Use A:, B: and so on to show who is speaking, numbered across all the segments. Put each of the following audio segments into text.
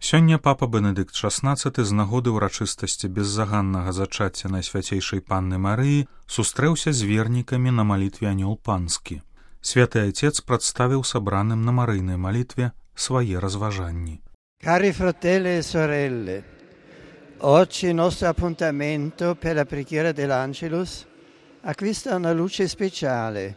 A: Сёння папа Бенедыкт XVI з нагоды ўрачыстасці беззаганнага зачацця Найсвяцейшай Панны Марыі сустрэўся з вернікамі на малітве Анёл Панскі. Святы Отец прадставіў сабраным на марыйнай малітве свае разважанні.
B: Cari fratelli e sorelle, oggi il nostro appuntamento per la preghiera dell'Angelus acquista una luce speciale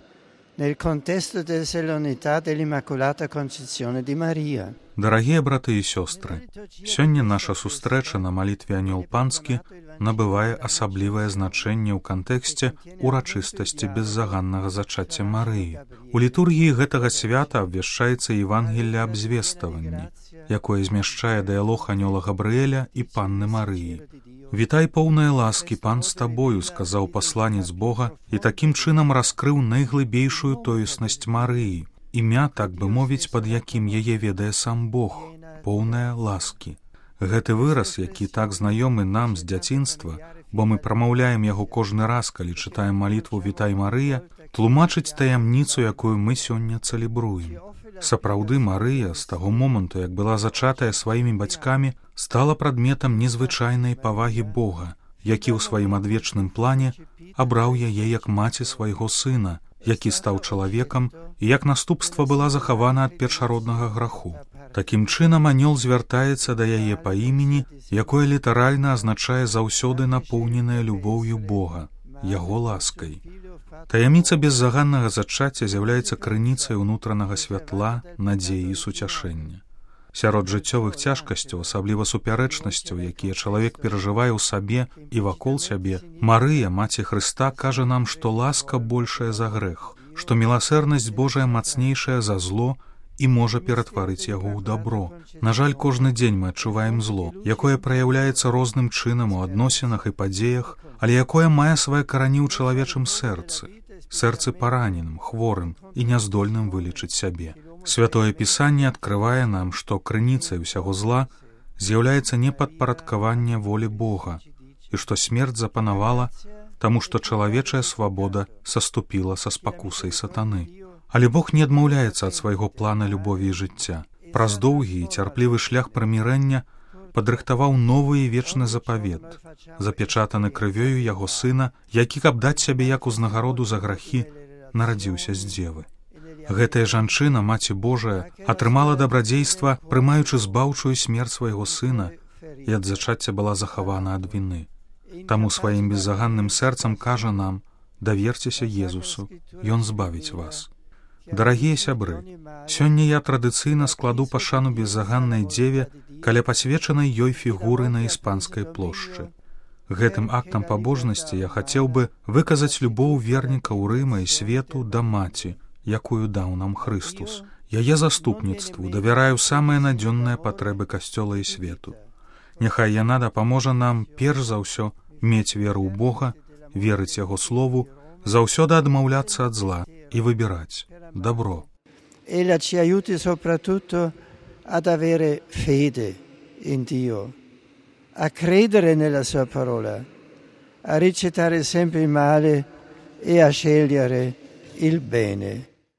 B: nel contesto della solennità dell'Immacolata Concezione di Maria.
A: Дарагія браты і сёстры, сёння наша сустрэча на малітве Анёл Панскі набывае асаблівае значэнне ў кантэксце урачыстасці беззаганнага зачацця Марыі. У літургіі гэтага свята абвяшчаецца Евангелле аб звеставанні, якое змяшчае дыялог анёла Габрыэля і Панны Марыі. «Вітай, поўная ласкі, Пан з табою», сказаў пасланец Бога і такім чынам раскрыў найглыбейшую тоеснасць Марыі, імя, так бы мовіць, пад якім яе ведае сам Бог, поўная ласкі. Гэты выраз, які так знаёмы нам з дзяцінства, бо мы прамаўляем яго кожны раз, калі чытаем малітву «Вітай, Марыя», тлумачыць таямніцу, якую мы сёння цэлебруем. Сапраўды, Марыя з таго моманту, як была зачатая сваімі бацькамі, стала прадметам незвычайнай павагі Бога, які ў сваім адвечным плане абраў яе як маці свайго сына, які стаў чалавекам і як наступства была захавана ад першароднага граху. Такім чынам анёл звяртаецца да яе па імені, якое літаральна азначае заўсёды напоўненае любоўю Бога, яго ласкай. Таямніца беззаганнага зачацця з'яўляецца крыніцай унутранага святла, надзеі і суцяшэння. Сярод жыццёвых цяжкасцяў, асабліва супярэчнасцяў, якія чалавек перажывае ў сабе і вакол сябе, Марыя, Маці Хрыста, кажа нам, што ласка большая за грэх, што міласэрнасць Божая мацнейшая за зло і можа ператварыць яго ў добро. На жаль, кожны дзень мы адчуваем зло, якое праяўляецца розным чынам у адносінах і падзеях, але якое мае свае карані ў чалавечым сэрцы параненым, хворым і няздольным вылечыць сябе. Святое Пісанне адкрывае нам, што крыніцай усяго зла з'яўляецца непадпарадкаванне волі Бога і што смерць запанавала, таму што чалавечая свабода саступіла са спакусай сатаны. Але Бог не адмаўляецца ад свайго плана любові і жыцця. Праз доўгі і цярплівы шлях прымірэння падрыхтаваў новы і вечны запавет, запечатаны крывёю яго сына, які, каб даць сябе як узнагароду за грахі, нарадзіўся з дзевы. Гэтая жанчына, Маці Божая, атрымала дабрадзейства, прымаючы збаўчую смерць свайго сына, і ад зачацця была захавана ад віны. Таму сваім беззаганным сэрцам кажа нам: даверцеся Езусу, ён збавіць вас. Дарагія сябры, сёння я традыцыйна складу пашану беззаганнай дзеве каля пасвечанай ёй фігуры на Іспанскай плошчы. Гэтым актам пабожнасці я хацеў бы выказаць любоў верніка ў Рыма і свету да маці, якую даў нам Хрыстус. Яе заступніцтву давяраю самыя надзённыя патрэбы касцёла і свету. Няхай яна дапаможа нам перш за ўсё мець веру ў Бога, верыць яго слову, заўсёды адмаўляцца ад зла і выбіраць добро.
B: Ella ci aiuti soprattutto ad avere fede in Dio, a credere nella sua parola, a ricettare sempre il male e a scegliere il bene.